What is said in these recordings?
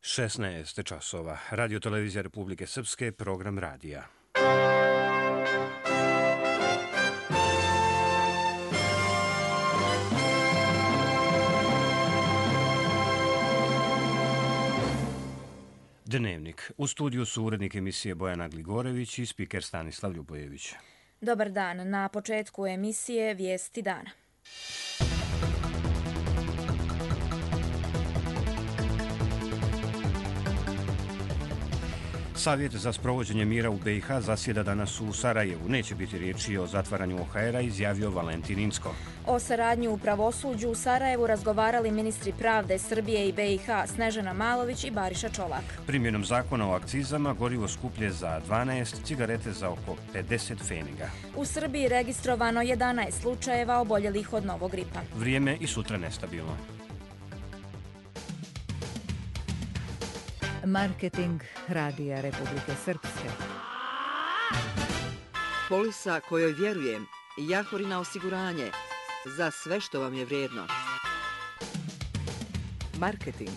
16 časova. Radio Televizija Republike Srpske, program radija. Dnevnik. U studiju su urednik emisije Bojana Gligorević i spiker Stanislav Ljubojević. Dobar dan. Na početku emisije Vijesti dana. Savjet za sprovođenje mira u BiH zasjeda danas u Sarajevu. Neće biti riječi o zatvaranju OHR-a, izjavio Valentin Incko. O saradnji u pravosuđu u Sarajevu razgovarali ministri pravde Srbije i BiH Snežana Malović i Bariša Čolak. Primjenom zakona o akcizama gorivo skuplje za 12, cigarete za oko 50 pfeniga. U Srbiji registrovano 11 slučajeva oboljelih od novog gripa. Vrijeme i sutra nestabilno. Marketing Radija Republike Srpske. Polisa kojoj vjerujem, Jahorina osiguranje, za sve što vam je vrijedno. Marketing.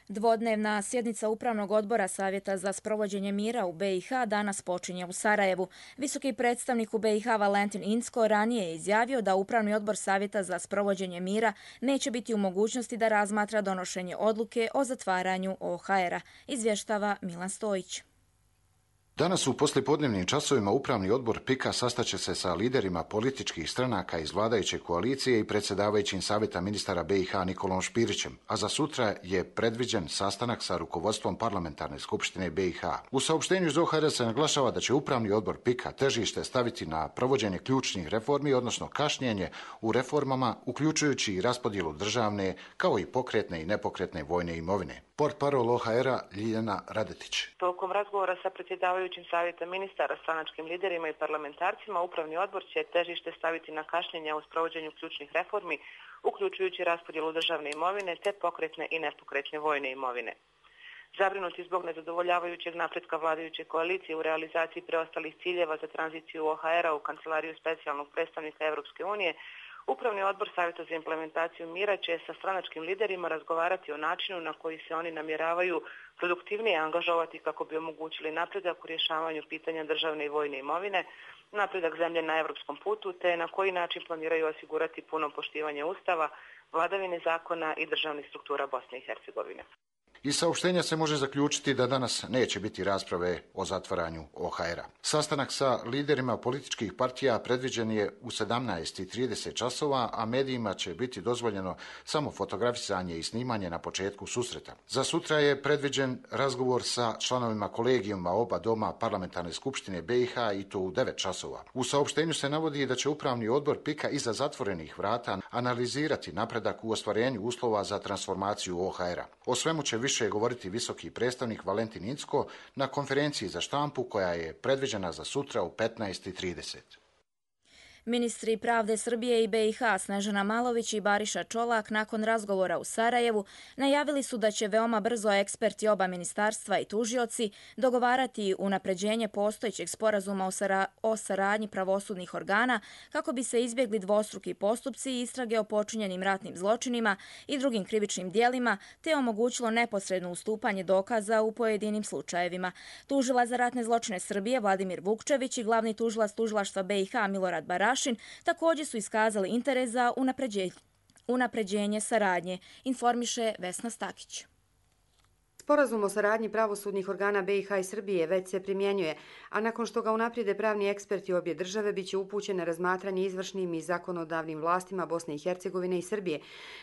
Dvodnevna sjednica Upravnog odbora Savjeta za sprovođenje mira u BiH danas počinje u Sarajevu. Visoki predstavnik u BiH Valentin Incko ranije je izjavio da Upravni odbor Savjeta za sprovođenje mira neće biti u mogućnosti da razmatra donošenje odluke o zatvaranju OHR-a, izvještava Milan Stojić. Danas u poslijepodnevnim časovima Upravni odbor PIK-a sastaće se sa liderima političkih stranaka iz vladajuće koalicije i predsjedavajućim savjeta ministara BiH Nikolom Špirićem, a za sutra je predviđen sastanak sa rukovodstvom parlamentarne skupštine BiH. U saopštenju iz OHR se naglašava da će Upravni odbor PIK-a težište staviti na provođenje ključnih reformi, odnosno kašnjenje u reformama, uključujući i raspodjelu državne, kao i pokretne i nepokretne vojne imovine. Portparol OHR-a Ljiljana Radetić. Tokom razgovora sa predsjedavajućim savjetom ministara, stranačkim liderima i parlamentarcima, Upravni odbor će težište staviti na kašnjenja u sprovođenju ključnih reformi, uključujući raspodjelu državne imovine te pokretne i nepokretne vojne imovine. Zabrinuti zbog nezadovoljavajućeg napretka vladajuće koalicije u realizaciji preostalih ciljeva za tranziciju OHR-a u Kancelariju specijalnog predstavnika Europske unije, Upravni odbor Savjeta za implementaciju mira će sa stranačkim liderima razgovarati o načinu na koji se oni namjeravaju produktivnije angažovati kako bi omogućili napredak u rješavanju pitanja državne i vojne imovine, napredak zemlje na europskom putu, te na koji način planiraju osigurati puno poštivanje Ustava, vladavine zakona i državnih struktura Bosne i Hercegovine. Iz saopštenja se može zaključiti da danas neće biti rasprave o zatvaranju OHR-a. Sastanak sa liderima političkih partija predviđen je u 17:30 časova, a medijima će biti dozvoljeno samo fotografisanje i snimanje na početku susreta. Za sutra je predviđen razgovor sa članovima kolegijuma oba doma parlamentarne skupštine BiH i to u 9 časova. U saopštenju se navodi da će Upravni odbor PIK-a iza zatvorenih vrata analizirati napredak u ostvarenju uslova za transformaciju OHR-a. O svemu će više govoriti visoki predstavnik Valentin Incko na konferenciji za štampu koja je predviđena za sutra u 15:30. Ministri pravde Srbije i BiH Snežana Malović i Bariša Čolak nakon razgovora u Sarajevu najavili su da će veoma brzo eksperti oba ministarstva i tužioci dogovarati unapređenje postojećeg sporazuma o saradnji pravosudnih organa kako bi se izbjegli dvostruki postupci i istrage o počinjenim ratnim zločinima i drugim krivičnim dijelima te omogućilo neposredno ustupanje dokaza u pojedinim slučajevima. Tužilac za ratne zločine Srbije Vladimir Vukčević i glavni tužilac tužilaštva BiH Milorad Barašin također su iskazali interes za unapređenje saradnje, informiše Vesna Stakić. Sporazum o saradnji pravosudnih organa BiH i Srbije već se primjenjuje, a nakon što ga unaprijede pravni eksperti obje države biće upućen na razmatranje izvršnim i zakonodavnim vlastima Bosne i Hercegovine i Srbije.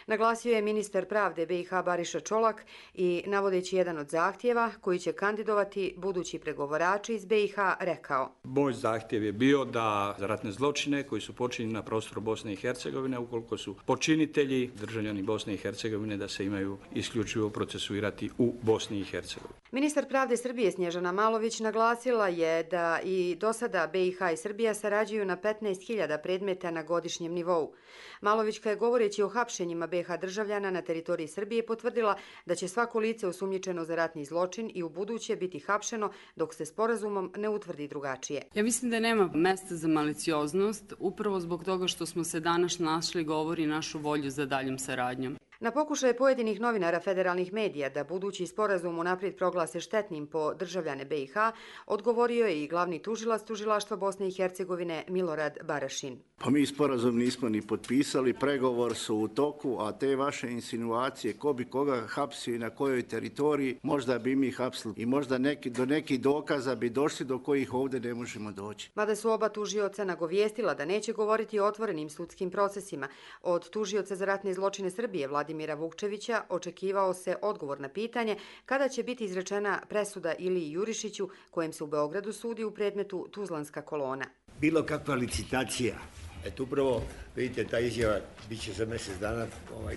Naglasio je ministar pravde BiH Bariša Čolak i navodeći jedan od zahtjeva koji će kandidovati budući pregovarači iz BiH rekao: Moj zahtjev je bio da za ratne zločine koji su počinjeni na prostoru Bosne i Hercegovine, ukoliko su počinitelji državljani Bosne i Hercegovine, da se imaju isključivo procesuirati u Bosni i Hercegovini. Ministar pravde Srbije Snježana Malović naglasila je da i do sada BiH i Srbija sarađuju na 15.000 predmeta na godišnjem nivou. Malovićka je govoreći o hapšenjima BiH državljana na teritoriji Srbije potvrdila da će svako lice osumnjičeno za ratni zločin i u buduće biti hapšeno dok se sporazumom ne utvrdi drugačije. Ja mislim da nema mesta za malicioznost, upravo zbog toga što smo se danas našli govori našu volju za daljom saradnjom. Na pokušaje pojedinih novinara federalnih medija da budući sporazum unaprijed proglase štetnim po državljane BiH, odgovorio je i glavni tužilac Tužilaštva Bosne i Hercegovine Milorad Barašin. Pa mi sporazum nismo ni potpisali, pregovor su u toku, a te vaše insinuacije ko bi koga hapsio i na kojoj teritoriji, možda bi mi hapsili i možda do nekih dokaza bi došli do kojih ovdje ne možemo doći. Mada su oba tužioca nagovijestila da neće govoriti o otvorenim sudskim procesima, od tužioca za ratne zločine Srbije Vladimira Vukčevića očekivao se odgovor na pitanje kada će biti izrečena presuda Iliji Jurišiću, kojem se u Beogradu sudi u predmetu Tuzlanska kolona. Bilo kakva licitacija. Eto upravo, vidite, ta izjava bit će za mjesec dana,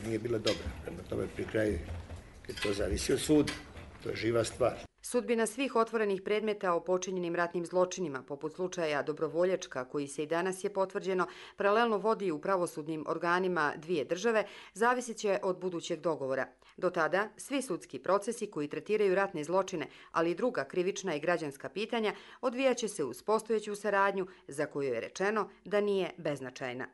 nije bila dobra. Prema tome pri kraju, kad to zavisi od suda, to je živa stvar. Sudbina svih otvorenih predmeta o počinjenim ratnim zločinima, poput slučaja Dobrovoljačka, koji se i danas je potvrđeno, paralelno vodi u pravosudnim organima dvije države, zavisit će od budućeg dogovora. Do tada, svi sudski procesi koji tretiraju ratne zločine, ali i druga krivična i građanska pitanja, odvijaće se uz postojeću saradnju, za koju je rečeno da nije beznačajna.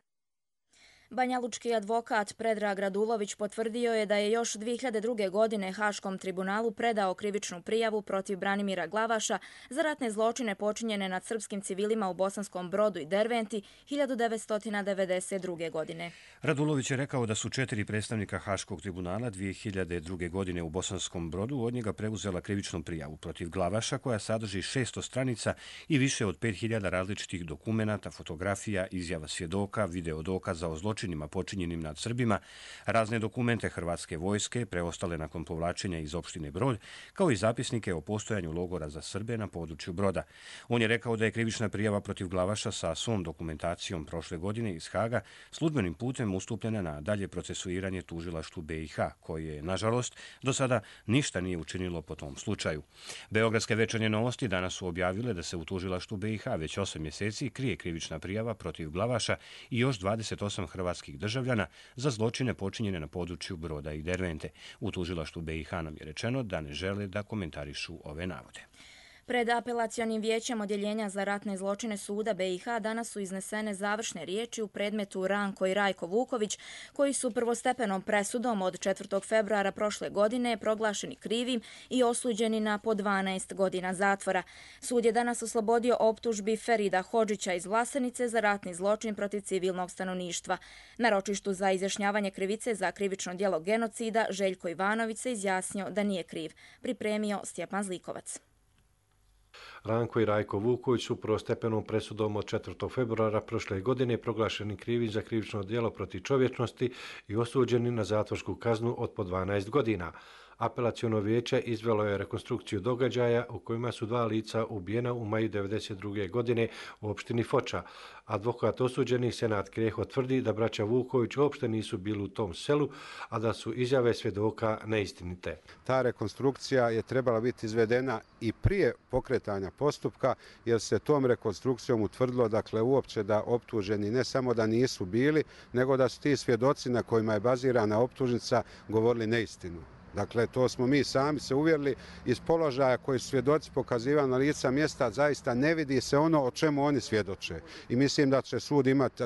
Banjalučki advokat Predrag Radulović potvrdio je da je još 2002. godine Haškom tribunalu predao krivičnu prijavu protiv Branimira Glavaša za ratne zločine počinjene nad srpskim civilima u Bosanskom Brodu i Derventi 1992. godine. Radulović je rekao da su 4 predstavnika Haškog tribunala 2002. godine u Bosanskom Brodu od njega preuzela krivičnu prijavu protiv Glavaša koja sadrži 600 stranica i više od 5000 različitih dokumenata, fotografija, izjava svjedoka, video dokaza o zločinima počinjenim nad Srbima, razne dokumente Hrvatske vojske, preostale nakon povlačenja iz opštine Brod, kao i zapisnike o postojanju logora za Srbe na području Broda. On je rekao da je krivična prijava protiv Glavaša sa svom dokumentacijom prošle godine iz Haga službenim putem ustupljena na dalje procesuiranje tužilaštvu BiH, koje, nažalost, do sada ništa nije učinilo po tom slučaju. Beogradske večernje novosti danas su objavile da se u tužilaštvu BiH već 8 mjeseci krije krivična prijava protiv Glavaša i još 28 hrvatskih državljana za zločine počinjene na području Broda i Dervente. U tužilaštvu BiH nam je rečeno da ne žele da komentarišu ove navode. Pred apelacionim vijećem Odjeljenja za ratne zločine suda BiH danas su iznesene završne riječi u predmetu Ranko i Rajko Vuković, koji su prvostepenom presudom od 4. februara prošle godine proglašeni krivim i osuđeni na po 12 godina zatvora. Sud je danas oslobodio optužbi Ferida Hodžića iz Vlasenice za ratni zločin protiv civilnog stanovništva. Na ročištu za izjašnjavanje krivice za krivično djelo genocida Željko Ivanović se izjasnio da nije kriv. Pripremio Stjepan Zlikovac. Ranko i Rajko Vuković su prvostepenom presudom od 4. februara prošle godine proglašeni krivi za krivično djelo protiv čovječnosti i osuđeni na zatvorsku kaznu od po 12 godina. Apelaciono vijeće izvelo je rekonstrukciju događaja u kojima su 2 lica ubijena u maju 1992. godine u opštini Foča. Advokat osuđenih Senad Kreho tvrdi da braća Vuković uopšte nisu bili u tom selu, a da su izjave svjedoka neistinite. Ta rekonstrukcija je trebala biti izvedena i prije pokretanja postupka, jer se tom rekonstrukcijom utvrdilo uopće da optuženi ne samo da nisu bili, nego da su ti svjedoci na kojima je bazirana optužnica govorili neistinu. Dakle, to smo mi sami se uvjerili iz položaja koji su svjedoci pokazivali na lica mjesta, zaista ne vidi se ono o čemu oni svjedoče. I mislim da će sud imati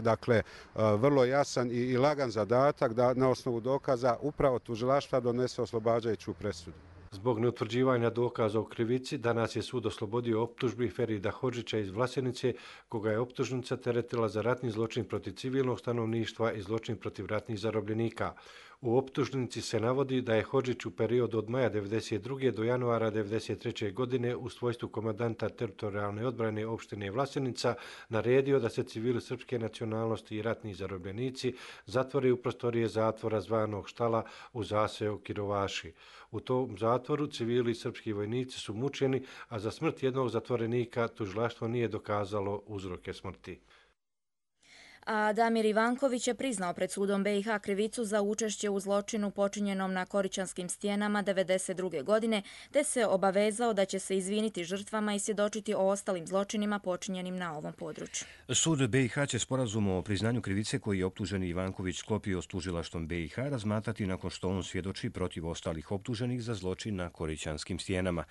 vrlo jasan i lagan zadatak da na osnovu dokaza upravo tužilaštva donese oslobađajuću presudu. Zbog neutvrđivanja dokaza o krivici, danas je sud oslobodio optužbi Ferida Hodžića iz Vlasenice, koga je optužnica teretila za ratni zločin protiv civilnog stanovništva i zločin protiv ratnih zarobljenika. U optužnici se navodi da je Hodžić u periodu od maja 1992. do januara 1993. godine u svojstvu komandanta teritorijalne odbrane opštine Vlasenica naredio da se civili srpske nacionalnosti i ratni zarobljenici zatvore u prostorije zatvora zvanog Štala u zaseju Kirovaši. U tom zatvoru civili srpski vojnici su mučeni, a za smrt jednog zatvorenika tužilaštvo nije dokazalo uzroke smrti. A Damir Ivanković je priznao pred sudom BiH krivicu za učešće u zločinu počinjenom na Korićanskim stijenama 1992. godine, te se obavezao da će se izviniti žrtvama i svjedočiti o ostalim zločinima počinjenim na ovom području. Sud BiH će sporazum o priznanju krivice koji je optuženi Ivanković sklopio s tužilaštvom BiH razmatrati nakon što on svjedoči protiv ostalih optuženih za zločin na Korićanskim stijenama.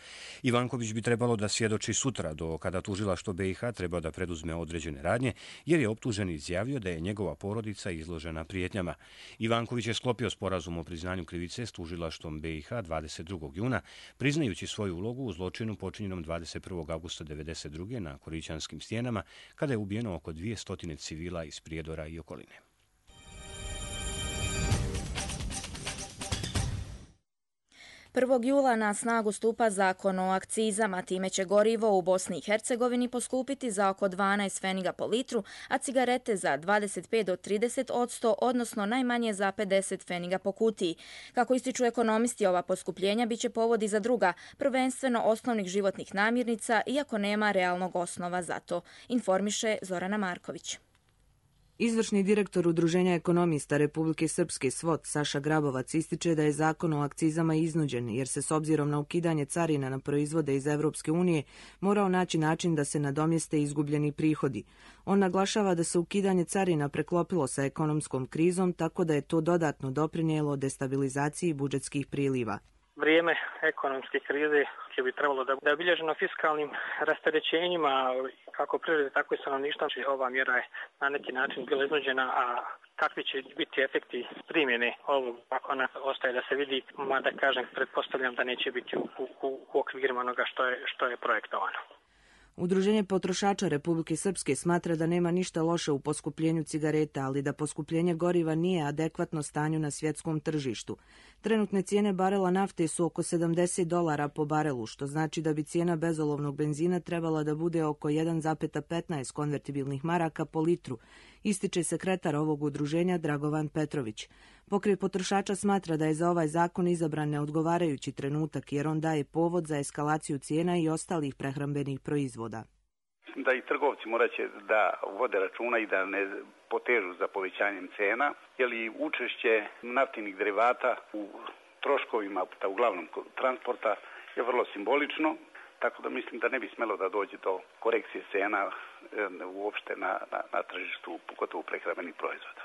Ivanković bi trebalo da svjedoči sutra, do kada tužilaštvo BiH treba da preduzme određene radnje, jer je optuženi izjavio izjavio da je njegova porodica izložena prijetnjama. Ivanković je sklopio sporazum o priznanju krivice s tužilaštvom BiH 22. juna, priznajući svoju ulogu u zločinu počinjenom 21. augusta 1992. na Korićanskim stijenama, kada je ubijeno oko 200 civila iz Prijedora i okoline. 1. jula na snagu stupa zakon o akcizama, time će gorivo u Bosni i Hercegovini poskupiti za oko 12 pfeniga po litru, a cigarete za 25 do 30%, odnosno najmanje za 50 pfeniga po kutiji. Kako ističu ekonomisti, ova poskupljenja biće povod i za druga, prvenstveno osnovnih životnih namirnica, iako nema realnog osnova za to, informiše Zorana Marković. Izvršni direktor Udruženja ekonomista Republike Srpske SVOT Saša Grabovac ističe da je zakon o akcizama iznuđen, jer se s obzirom na ukidanje carina na proizvode iz Evropske unije morao naći način da se nadomjeste izgubljeni prihodi. On naglašava da se ukidanje carina preklopilo sa ekonomskom krizom, tako da je to dodatno doprinijelo destabilizaciji budžetskih priliva. Vrijeme ekonomske krize će bi trebalo da je obilježeno fiskalnim rasterećenjima kako privrede, tako i stanovništva. Ova mjera je na neki način bila iznuđena, a kakvi će biti efekti primjene ovog zakona ostaje da se vidi, mada kažem, pretpostavljam da neće biti u okvirima onoga što je projektovano. Udruženje potrošača Republike Srpske smatra da nema ništa loše u poskupljenju cigareta, ali da poskupljenje goriva nije adekvatno stanju na svjetskom tržištu. Trenutne cijene barela nafte su oko $70 po barelu, što znači da bi cijena bezolovnog benzina trebala da bude oko 1,15 konvertibilnih maraka po litru, ističe sekretar ovog udruženja Dragovan Petrović. Pokret potrošača smatra da je za ovaj zakon izabran neodgovarajući trenutak, jer on daje povod za eskalaciju cijena i ostalih prehrambenih proizvoda. Da i trgovci moraće da vode računa i da ne potežu za povećanjem cena, jer i učešće naftnih derivata u troškovima, uglavnom transporta, je vrlo simbolično, tako da mislim da ne bi smelo da dođe do korekcije cena uopšte na tržištu, pogotovo prehrambenih proizvoda.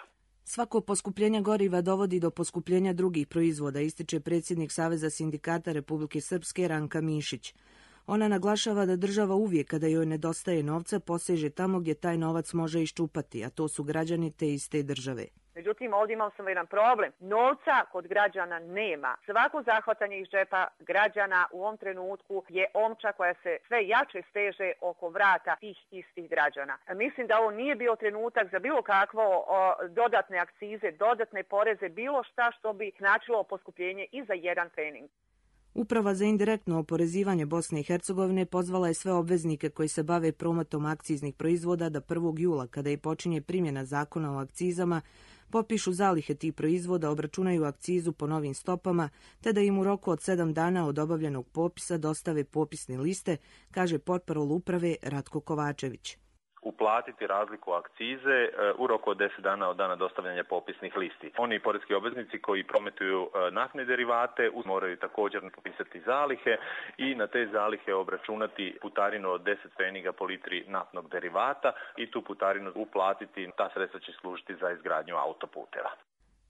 Svako poskupljenje goriva dovodi do poskupljenja drugih proizvoda, ističe predsjednik Saveza sindikata Republike Srpske Ranka Mišić. Ona naglašava da država uvijek kada joj nedostaje novca poseže tamo gdje taj novac može iščupati, a to su građani te iste države. Međutim, ovdje imao sam jedan problem. Novca kod građana nema. Svako zahvatanje iz džepa građana u ovom trenutku je omča koja se sve jače steže oko vrata tih istih građana. Mislim da ovo nije bio trenutak za bilo kakvo dodatne akcize, dodatne poreze, bilo šta što bi značilo poskupljenje i za jedan pfening. Uprava za indirektno oporezivanje Bosne i Hercegovine pozvala je sve obveznike koji se bave prometom akciznih proizvoda da 1. jula, kada i počinje primjena zakona o akcizama, popišu zalihe tih proizvoda, obračunaju akcizu po novim stopama, te da im u roku od 7 dana od obavljenog popisa dostave popisne liste, kaže portparol uprave Ratko Kovačević. Uplatiti razliku akcize u roku od 10 dana od dana dostavljanja popisnih listi. Oni poreski obveznici koji prometuju naftne derivate moraju također popisati zalihe i na te zalihe obračunati putarinu od 10 pfeniga po litri naftnog derivata i tu putarinu uplatiti. Ta sredstva će služiti za izgradnju autoputeva.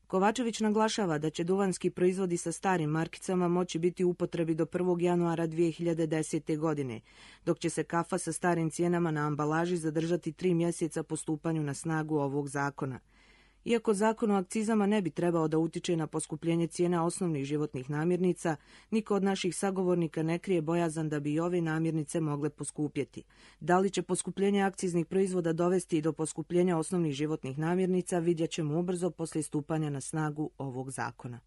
Kovačević naglašava da će duvanski proizvodi sa starim markicama moći biti u upotrebi do 1. januara 2010. godine, dok će se kafa sa starim cijenama na ambalaži zadržati 3 mjeseca po stupanju na snagu ovog zakona. Iako zakon o akcizama ne bi trebao da utiče na poskupljenje cijena osnovnih životnih namirnica, niko od naših sagovornika ne krije bojazan da bi i ove namirnice mogle poskupjeti. Da li će poskupljenje akciznih proizvoda dovesti i do poskupljenja osnovnih životnih namirnica, vidjet ćemo ubrzo poslije stupanja na snagu ovog zakona.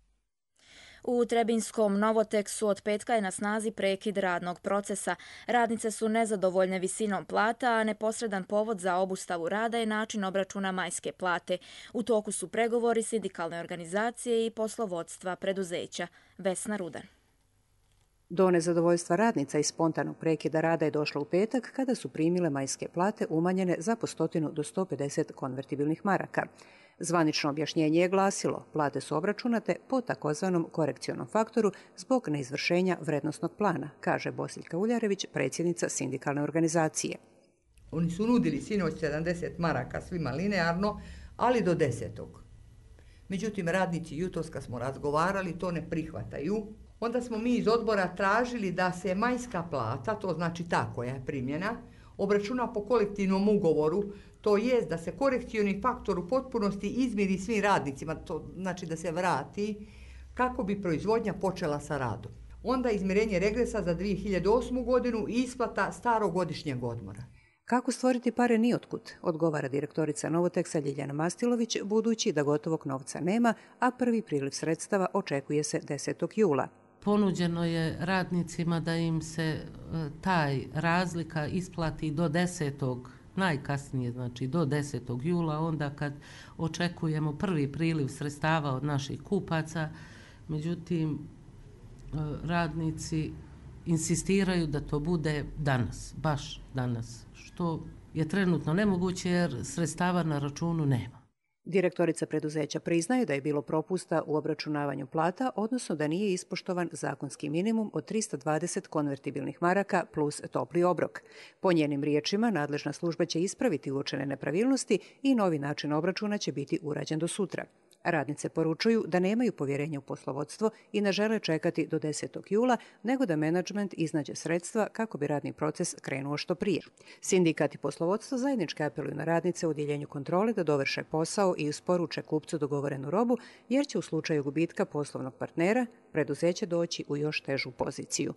U Trebinskom Novoteksu od petka je na snazi prekid radnog procesa. Radnice su nezadovoljne visinom plata, a neposredan povod za obustavu rada je način obračuna majske plate. U toku su pregovori sindikalne organizacije i poslovodstva preduzeća. Vesna Rudan. Do nezadovoljstva radnica i spontanog prekida rada je došlo u petak kada su primile majske plate umanjene za po 100 do 150 konvertibilnih maraka. Zvanično objašnjenje je glasilo, plate su obračunate po takozvanom korekcionom faktoru zbog neizvršenja vrednosnog plana, kaže Bosiljka Uljarević, predsjednica sindikalne organizacije. Oni su nudili sinoć 70 maraka svima linearno, ali do 10. Međutim, radnici jutros kad smo razgovarali to ne prihvataju. Onda smo mi iz odbora tražili da se majska plata, to znači ta koja je primljena, obračuna po kolektivnom ugovoru, to jest da se korekcioni faktor u potpunosti izmiri svim radnicima, to znači da se vrati kako bi proizvodnja počela sa radom. Onda izmirenje regresa za 2008. godinu i isplata starogodišnjeg odmora. Kako stvoriti pare nijotkud, odgovara direktorica Novoteksa Ljiljana Mastilović, budući da gotovog novca nema, a prvi priliv sredstava očekuje se 10. jula. Ponuđeno je radnicima da im se taj razlika isplati do 10. najkasnije, znači do 10. jula, onda kad očekujemo prvi priliv sredstava od naših kupaca. Međutim, radnici insistiraju da to bude danas, baš danas, što je trenutno nemoguće jer sredstava na računu nema. Direktorica preduzeća priznaje da je bilo propusta u obračunavanju plata, odnosno da nije ispoštovan zakonski minimum od 320 konvertibilnih maraka plus topli obrok. Po njenim riječima, nadležna služba će ispraviti uočene nepravilnosti i novi način obračuna će biti urađen do sutra. Radnice poručuju da nemaju povjerenja u poslovodstvo i ne žele čekati do 10. jula, nego da menadžment iznađe sredstva kako bi radni proces krenuo što prije. Sindikat i poslovodstvo zajednički apeluju na radnice u odjeljenju kontrole da dovrše posao i isporuče kupcu dogovorenu robu, jer će u slučaju gubitka poslovnog partnera preduzeće doći u još težu poziciju.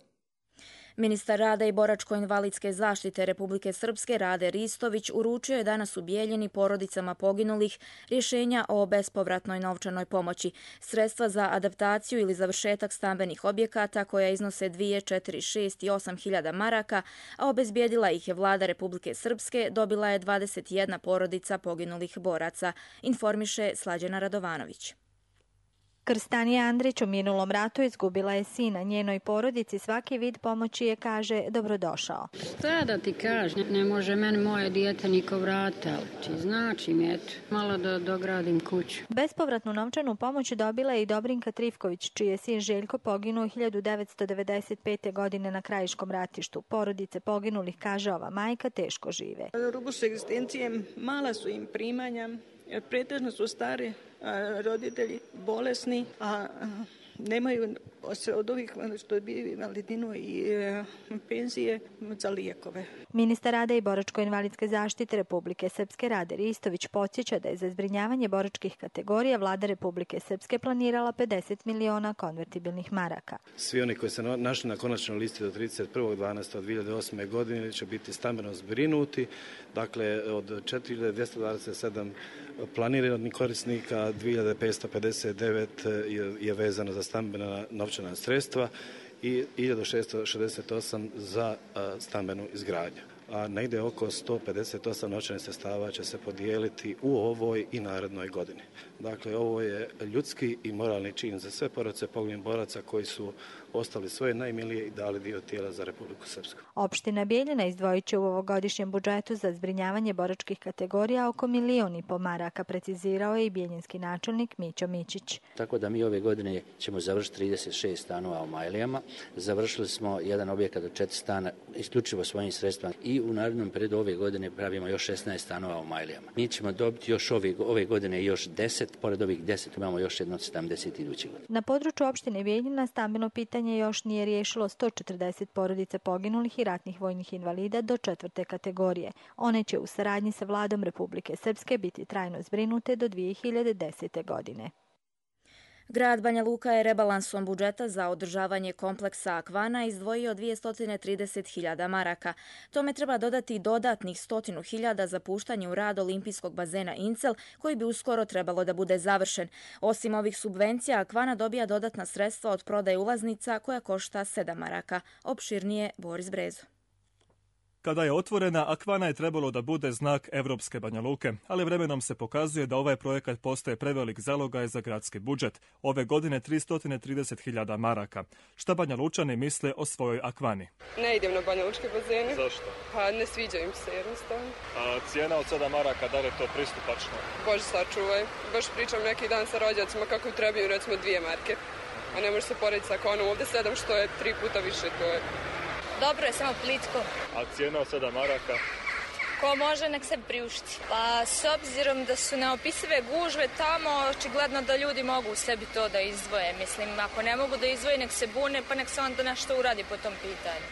Ministar rada i boračko-invalidske zaštite Republike Srpske Rade Ristović uručio je danas u Bijeljini porodicama poginulih rješenja o bespovratnoj novčanoj pomoći, sredstva za adaptaciju ili završetak stambenih objekata koja iznose 2, 4, 6 i 8 hiljada maraka, a obezbijedila ih je vlada Republike Srpske, dobila je 21 porodica poginulih boraca, informiše Slađana Radovanović. Krstanija Andrić u minulom ratu izgubila je sina. Njenoj porodici svaki vid pomoći je, kaže, dobrodošao. Šta da ti kažem, ne može meni moje dijete niko vrati, ali ti znači mi, eto, malo da dogradim kuću. Bespovratnu novčanu pomoć dobila je i Dobrinka Trifković, čiji je sin Željko poginuo 1995. godine na Krajiškom ratištu. Porodice poginulih, kaže ova majka, teško žive. Na rubu s egzistencijem, mala su im primanja, jer pretežno su stari roditelji, bolesni, a nemaju od ovih što bi invalidinu i penzije za lijekove. Ministar rada i boračko-invalidske zaštite Republike Srpske Rade Ristović podsjeća da je za zbrinjavanje boračkih kategorija vlada Republike Srpske planirala 50 miliona konvertibilnih maraka. Svi oni koji se našli na konačnoj listi do 31.12.2008. godine će biti stambeno zbrinuti. Dakle, od 4227 planiranih korisnika 2559 je vezano za stambena novčana sredstva i 1668 za stambenu izgradnju. A negdje oko 158 novčanih sredstava će se podijeliti u ovoj i narednoj godini. Dakle, ovo je ljudski i moralni čin za sve porodice poginulih boraca koji su ostali svoje najmilije i dali dio tijela za Republiku Srpsku. Opština Bijeljina izdvojit će u ovogodišnjem budžetu za zbrinjavanje boračkih kategorija oko 1,5 miliona maraka, precizirao je i bijeljinski načelnik Mićo Mićić. Tako da mi ove godine ćemo završiti 36 stanova u Majlijama. Završili smo jedan objekat od 4 stana isključivo svojim sredstvima i u narednom periodu ove godine pravimo još 16 stanova u Majlijama. Mi ćemo dobiti još ove godine još 10, pored ovih 10 imamo još jedno 70 iduće godine. Na području opštine Bijeljina stambeno pitanje još nije riješilo 140 porodica poginulih i ratnih vojnih invalida do 4. kategorije. One će u saradnji sa vladom Republike Srpske biti trajno zbrinute do 2010. godine. Grad Banja Luka je rebalansom budžeta za održavanje kompleksa Akvana izdvojio 230.000 maraka. Tome treba dodati dodatnih 100.000 za puštanje u rad olimpijskog bazena Incel, koji bi uskoro trebalo da bude završen. Osim ovih subvencija, Akvana dobija dodatna sredstva od prodaje ulaznica koja košta 7 maraka. Opširnije Boris Brezo. Kada je otvorena, Akvana je trebalo da bude znak Evropske Banja Luke, ali vremenom se pokazuje da ovaj projekat postaje prevelik zalogaj za gradski budžet. Ove godine 330.000 maraka. Šta Banja Lučani misle o svojoj Akvani? Ne idem na Banja Lučke bazene. Zašto? Pa ne sviđa im se jednostavno. A cijena od 7 maraka, da li je to pristupačno? Bože sačuvaj. Baš pričam neki dan sa rođacima kako trebaju recimo 2 marke. A ne može se porediti sa Akvanom. Ovdje 7 što je 3 puta više, to je... Dobro je, samo plitko. A cijena od 7 maraka? Ko može, nek se priušti. Pa s obzirom da su neopisive gužve tamo, očigledno da ljudi mogu u sebi to da izdvoje. Mislim, ako ne mogu da izdvoje, nek se bune, pa nek se onda nešto uradi po tom pitanju.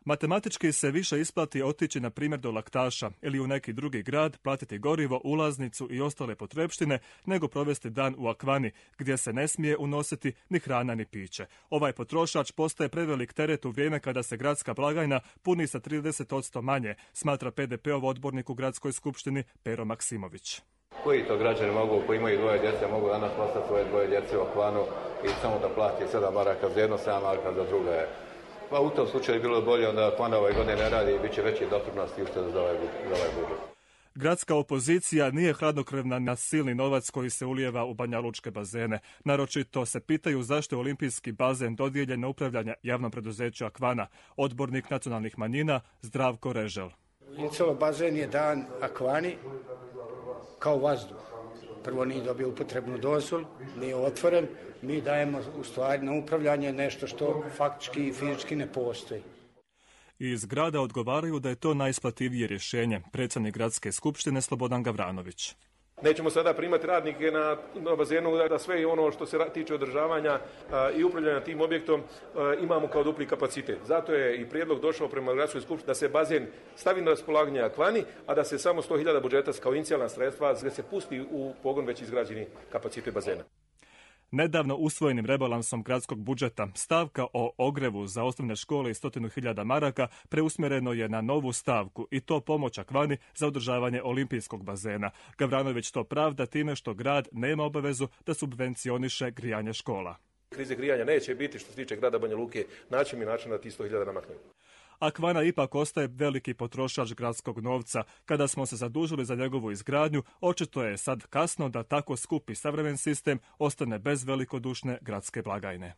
Matematički se više isplati otići na primjer do Laktaša ili u neki drugi grad, platiti gorivo, ulaznicu i ostale potrepštine, nego provesti dan u Akvani, gdje se ne smije unositi ni hrana ni piće. Ovaj potrošač postaje prevelik teret u vrijeme kada se gradska blagajna puni sa 30% manje, smatra PDP-ov odbornik u gradskoj skupštini Pero Maksimović. Koji to građani mogu, koji imaju dvoje djece, mogu danas poslati svoje dvoje djece u Akvanu i samo da plati 7 maraka za jedno, 7 maraka za drugo je. Pa u tom slučaju je bilo bolje onda Akvana ove godine ne radi i bit će veći doprinos i ušteda za ovaj budžet. Gradska opozicija nije hladnokrvna na silni novac koji se ulijeva u banjalučke bazene. Naročito se pitaju zašto je olimpijski bazen dodijeljen na upravljanje javnom preduzeću Akvana. Odbornik nacionalnih manjina Zdravko Režel. Incov bazen je dan Akvani kao vazduh. Prvo nije dobio upotrebnu dozvolu, nije otvoren. Mi dajemo u stvari na upravljanje nešto što faktički i fizički ne postoji. Iz grada odgovaraju da je to najisplativije rješenje. Predsjednik gradske skupštine Slobodan Gavranović. Nećemo sada primati radnike na bazenu da sve i ono što se tiče održavanja i upravljanja tim objektom imamo kao dupli kapacitet. Zato je i prijedlog došao prema gradskoj skupštini da se bazen stavi na raspolaganje Akvani, a da se samo 100.000 budžeta kao inicijalna sredstva da se pusti u pogon već izgrađeni kapacitet bazena. Nedavno usvojenim rebalansom gradskog budžeta stavka o ogrevu za osnovne škole i 100.000 maraka preusmjereno je na novu stavku i to pomoć Akvani za održavanje olimpijskog bazena. Gavranović to pravda time što grad nema obavezu da subvencioniše grijanje škola. Krize grijanja neće biti što se tiče grada Banja Luke, naći mi način da ti 100.000 namaknemo. Akvana ipak ostaje veliki potrošač gradskog novca. Kada smo se zadužili za njegovu izgradnju, očito je sad kasno da tako skupi savremen sistem ostane bez velikodušne gradske blagajne.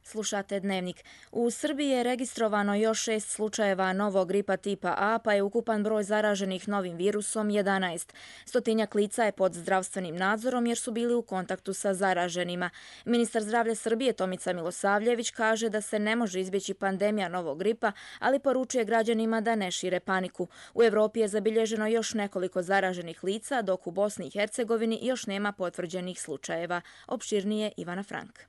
Slušate Dnevnik. U Srbiji je registrovano još 6 slučajeva novog gripa tipa A, pa je ukupan broj zaraženih novim virusom 11. Stotinjak lica je pod zdravstvenim nadzorom jer su bili u kontaktu sa zaraženima. Ministar zdravlja Srbije Tomica Milosavljević kaže da se ne može izbjeći pandemija novog gripa, ali poručuje građanima da ne šire paniku. U Evropi je zabilježeno još nekoliko zaraženih lica, dok u Bosni i Hercegovini još nema potvrđenih slučajeva. Opširnije Ivana Frank.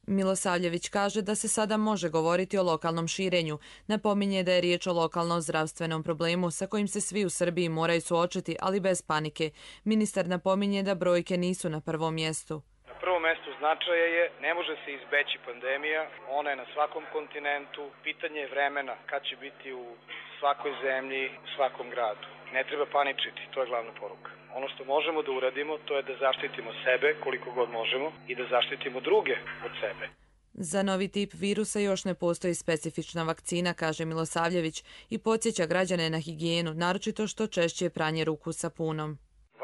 Milosavljević kaže da se sada može govoriti o lokalnom širenju. Napominje da je riječ o lokalnom zdravstvenom problemu sa kojim se svi u Srbiji moraju suočiti, ali bez panike. Ministar napominje da brojke nisu na prvom mjestu. Na prvom mjestu značaja je, ne može se izbeći pandemija, ona je na svakom kontinentu, pitanje je vremena kad će biti u svakoj zemlji, u svakom gradu. Ne treba paničiti, to je glavna poruka. Ono što možemo da uradimo, to je da zaštitimo sebe koliko god možemo i da zaštitimo druge od sebe. Za novi tip virusa još ne postoji specifična vakcina, kaže Milosavljević, i podsjeća građane na higijenu, naročito što češće pranje ruku sapunom.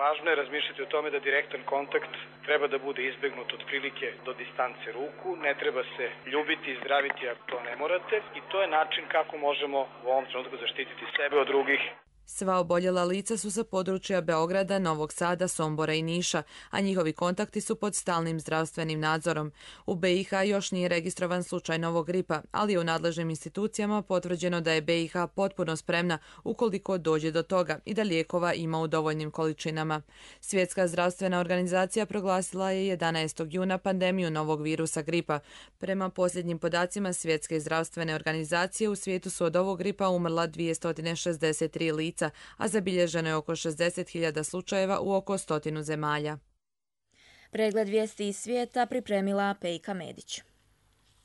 Važno je razmišljati o tome da direktan kontakt treba da bude izbegnut otprilike do distance ruku, ne treba se ljubiti i zdraviti ako to ne morate i to je način kako možemo u ovom trenutku zaštititi sebe od drugih. Sva oboljela lica su sa područja Beograda, Novog Sada, Sombora i Niša, a njihovi kontakti su pod stalnim zdravstvenim nadzorom. U BiH još nije registrovan slučaj novog gripa, ali je u nadležnim institucijama potvrđeno da je BiH potpuno spremna ukoliko dođe do toga i da lijekova ima u dovoljnim količinama. Svjetska zdravstvena organizacija proglasila je 11. juna pandemiju novog virusa gripa. Prema posljednjim podacima Svjetske zdravstvene organizacije u svijetu su od ovog gripa umrla 263 lica, a zabilježeno je oko 60.000 slučajeva u oko 100 zemalja. Pregled vijesti iz svijeta pripremila Pejka Medić.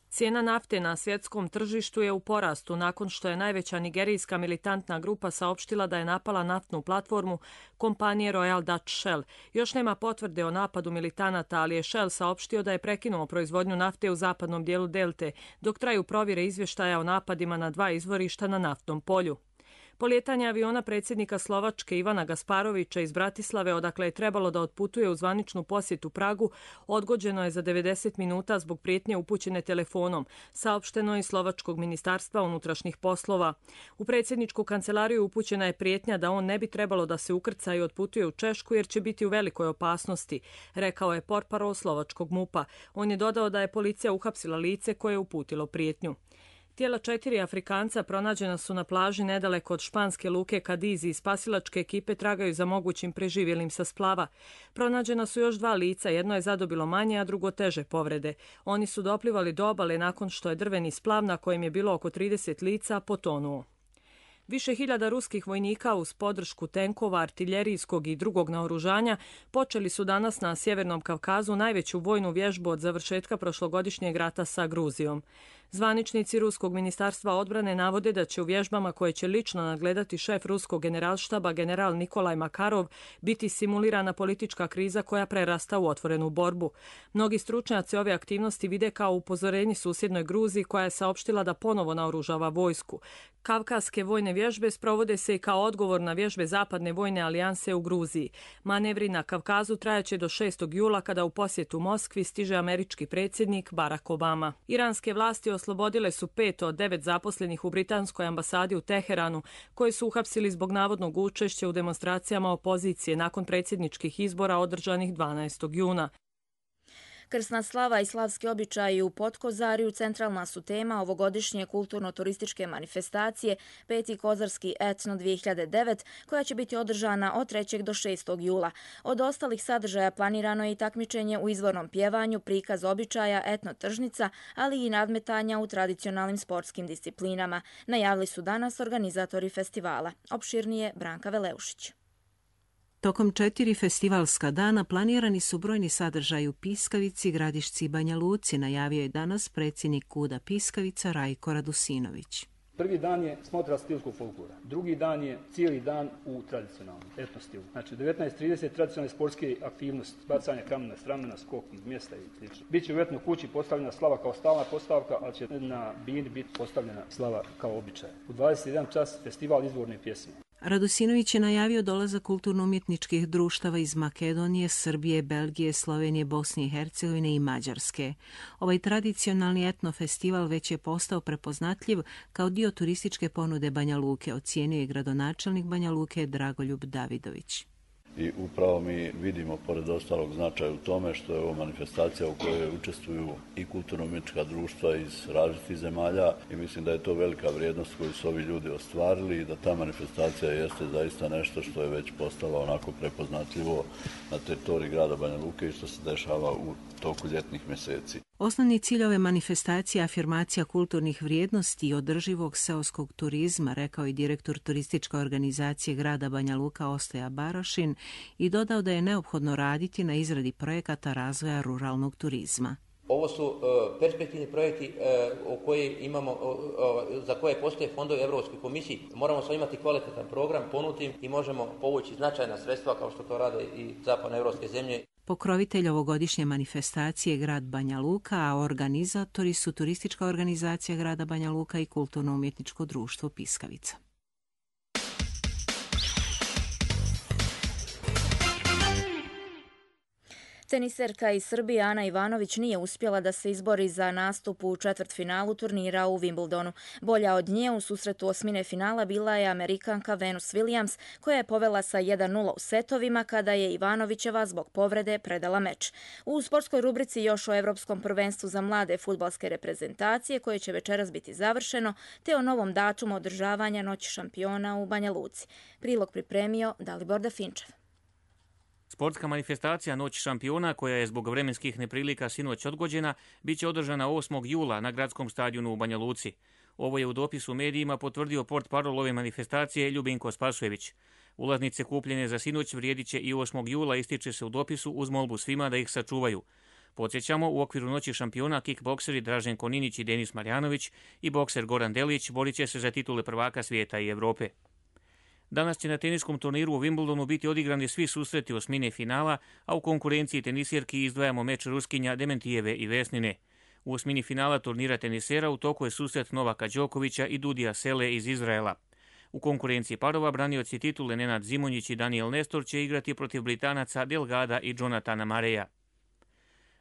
Cijena nafte na svjetskom tržištu je u porastu nakon što je najveća nigerijska militantna grupa saopštila da je napala naftnu platformu kompanije Royal Dutch Shell. Još nema potvrde o napadu militanata, ali je Shell saopštio da je prekinuo proizvodnju nafte u zapadnom dijelu delte, dok traju provjere izvještaja o napadima na 2 izvorišta na naftnom polju. Polijetanje aviona predsjednika Slovačke Ivana Gasparovića iz Bratislave, odakle je trebalo da otputuje u zvaničnu posjetu Pragu, odgođeno je za 90 minuta zbog prijetnje upućene telefonom, saopšteno je iz Slovačkog ministarstva unutrašnjih poslova. U predsjedničku kancelariju upućena je prijetnja da on ne bi trebalo da se ukrca i otputuje u Češku jer će biti u velikoj opasnosti, rekao je portparol slovačkog MUP-a. On je dodao da je policija uhapsila lice koje je uputilo prijetnju. Tijela 4 Afrikanca pronađena su na plaži nedaleko od španske luke Kadizi i spasilačke ekipe tragaju za mogućim preživjelim sa splava. Pronađena su još 2 lica, jedno je zadobilo manje, a drugo teže povrede. Oni su doplivali do obale nakon što je drveni splav na kojem je bilo oko 30 lica potonuo. Više hiljada ruskih vojnika uz podršku tenkova, artiljerijskog i drugog naoružanja počeli su danas na Sjevernom Kavkazu najveću vojnu vježbu od završetka prošlogodišnjeg rata sa Gruzijom. Zvaničnici Ruskog ministarstva odbrane navode da će u vježbama koje će lično nadgledati šef ruskog generalštaba general Nikolaj Makarov biti simulirana politička kriza koja prerasta u otvorenu borbu. Mnogi stručnjaci ove aktivnosti vide kao upozorenje susjednoj Gruziji koja je saopštila da ponovo naoružava vojsku. Kavkaske vojne vježbe sprovode se i kao odgovor na vježbe Zapadne vojne alijanse u Gruziji. Manevri na Kavkazu trajaće do 6. jula kada u posjetu Moskvi stiže američki predsjednik Barack Obama. Iranske vlasti oslobodile su 5 od 9 zaposlenih u britanskoj ambasadi u Teheranu, koji su uhapsili zbog navodnog učešća u demonstracijama opozicije nakon predsjedničkih izbora održanih 12. juna. Krsna slava i slavski običaji u Potkozariju centralna su tema ovogodišnje kulturno-turističke manifestacije Peti kozarski etno 2009, koja će biti održana od 3. do 6. jula. Od ostalih sadržaja planirano je i takmičenje u izvornom pjevanju, prikaz običaja, etno tržnica, ali i nadmetanja u tradicionalnim sportskim disciplinama. Najavili su danas organizatori festivala. Opširnije Branka Veleušić. Tokom 4 festivalska dana planirani su brojni sadržaji u Piskavici, Gradišci i Banja Luci, najavio je danas predsjednik KUD-a Piskavica Rajko Radusinović. Prvi dan je smotra stilskog folklora, drugi dan je cijeli dan u tradicionalnom etno stilu. Znači 19:30 tradicionalne sportske aktivnosti, bacanje kamena s ramena, skok iz mjesta i sl. Biće u etno kući postavljena slava kao stalna postavka, ali će na bini biti postavljena slava kao običaj. U 21 čas festival izvorne pjesme. Radusinović je najavio dolazak kulturno-umjetničkih društava iz Makedonije, Srbije, Belgije, Slovenije, Bosne i Hercegovine i Mađarske. Ovaj tradicionalni etno festival već je postao prepoznatljiv kao dio turističke ponude Banja Luke, ocijenio je gradonačelnik Banja Luke Dragoljub Davidović. I upravo mi vidimo, pored ostalog značaja u tome, što je ovo manifestacija u kojoj učestvuju i kulturno-umjetnička društva iz različitih zemalja i mislim da je to velika vrijednost koju su ovi ljudi ostvarili i da ta manifestacija jeste zaista nešto što je već postalo onako prepoznatljivo na teritoriji grada Banja Luke i što se dešava u toku ljetnih mjeseci. Osnovni cilj ove manifestacije je afirmacija kulturnih vrijednosti i održivog seoskog turizma, rekao je direktor turističke organizacije grada Banja Luka Ostoja Barošin i dodao da je neophodno raditi na izradi projekata razvoja ruralnog turizma. Ovo su perspektivni projekti za koje postoje fondovi Europskoj komisiji. Moramo samo imati kvalitetan program, ponuditi i možemo povući značajna sredstva kao što to rade i zapadnoevropske zemlje. Pokrovitelj ovogodišnje manifestacije je grad Banja Luka, a organizatori su turistička organizacija grada Banja Luka i kulturno-umjetničko društvo Piskavica. Teniserka iz Srbije Ana Ivanović nije uspjela da se izbori za nastup u četvrtfinalu turnira u Wimbledonu. Bolja od nje u susretu osmine finala bila je Amerikanka Venus Williams, koja je povela sa 1:0 u setovima kada je Ivanovićeva zbog povrede predala meč. U sportskoj rubrici još o Evropskom prvenstvu za mlade fudbalske reprezentacije, koje će večeras biti završeno, te o novom datumu održavanja Noći šampiona u Banja Luci. Prilog pripremio Dalibor Dafinčev. Sportska manifestacija Noć šampiona, koja je zbog vremenskih neprilika sinoć odgođena, bit će održana 8. jula na gradskom stadionu u Banja Luci. Ovo je u dopisu medijima potvrdio portparol ove manifestacije Ljubinko Spasojević. Ulaznice kupljene za sinoć vrijedit će i 8. jula, ističe se u dopisu uz molbu svima da ih sačuvaju. Podsjećamo, u okviru Noći šampiona kickbokseri Dražen Koninić i Denis Marjanović i bokser Goran Delić borit će se za titule prvaka svijeta i Evrope. Danas će na teniskom turniru u Wimbledonu biti odigrani svi susreti osmine finala, a u konkurenciji tenisjerki izdvajamo meč Ruskinja Dementijeve i Vesnine. U osmini finala turnira tenisera u toku je susret Novaka Đokovića i Dudija Sele iz Izraela. U konkurenciji parova branioci titule Nenad Zimonjić i Daniel Nestor će igrati protiv Britanaca Delgada i Jonathana Mareja.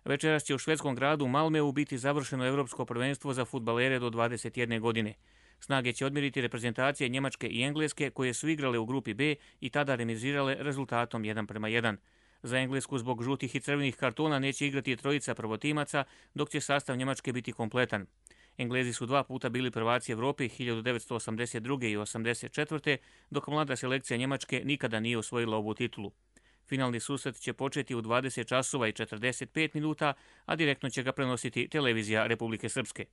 Večeras će u švedskom gradu Malmeu biti završeno Evropsko prvenstvo za fudbalere do 21 godine. Snage će odmjeriti reprezentacije Njemačke i Engleske, koje su igrale u grupi B i tada remizirale rezultatom 1:1. Za Englesku zbog žutih i crvenih kartona neće igrati trojica prvotimaca, dok će sastav Njemačke biti kompletan. Englezi su 2 puta bili prvaci Evrope 1982. i 1984. dok mlada selekcija Njemačke nikada nije osvojila ovu titulu. Finalni susret će početi u 20 časova i 45 minuta, a direktno će ga prenositi televizija Republike Srpske.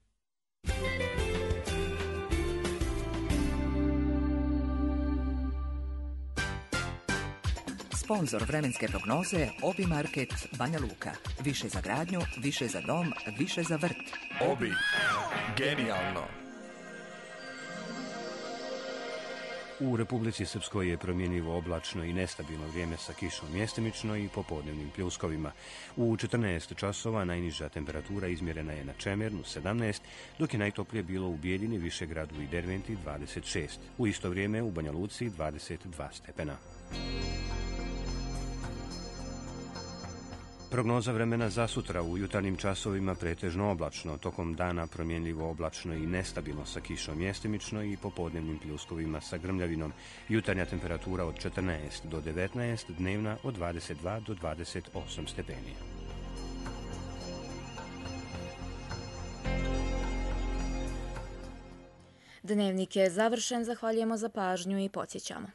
Sponzor vremenske prognoze Obi Market Banja Luka. Više za gradnju, više za dom, više za vrt. Obi. Genijalno. U Republici Srpskoj je promjenjivo oblačno i nestabilno vrijeme sa kišom mjestimično i popodnevnim pljuskovima. U 14 časova najniža temperatura izmjerena je na Čemernu 17, dok je najtoplije bilo u Bijeljini, Višegradu i Derventi 26. U isto vrijeme u Banja Luci 22 stepena. Prognoza vremena za sutra: u jutarnjim časovima pretežno oblačno, tokom dana promjenljivo oblačno i nestabilno sa kišom mjestimično i popodnevnim pljuskovima sa grmljavinom. Jutarnja temperatura od 14 do 19, dnevna od 22 do 28 stepeni. Dnevnik je završen, zahvaljujemo za pažnju i podsjećamo.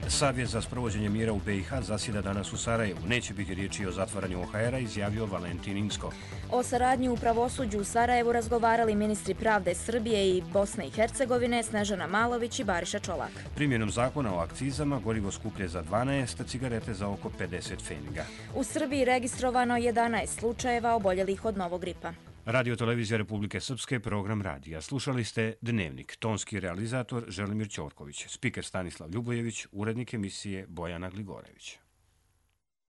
Savjet za sprovođenje mira u BiH zasjeda danas u Sarajevu. Neće biti riječi o zatvaranju OHR-a, izjavio Valentin Inzko. O saradnji u pravosuđu u Sarajevu razgovarali ministri pravde Srbije i Bosne i Hercegovine Snežana Malović i Bariša Čolak. Primjenom zakona o akcizama gorivo skuplje za 12, cigarete za oko 50 pfeniga. U Srbiji registrovano 11 slučajeva oboljelih od novog gripa. Radio Televizija Republike Srpske, program radija. Slušali ste Dnevnik, tonski realizator Želimir Ćorković, spiker Stanislav Ljubojević, urednik emisije Bojana Gligorević.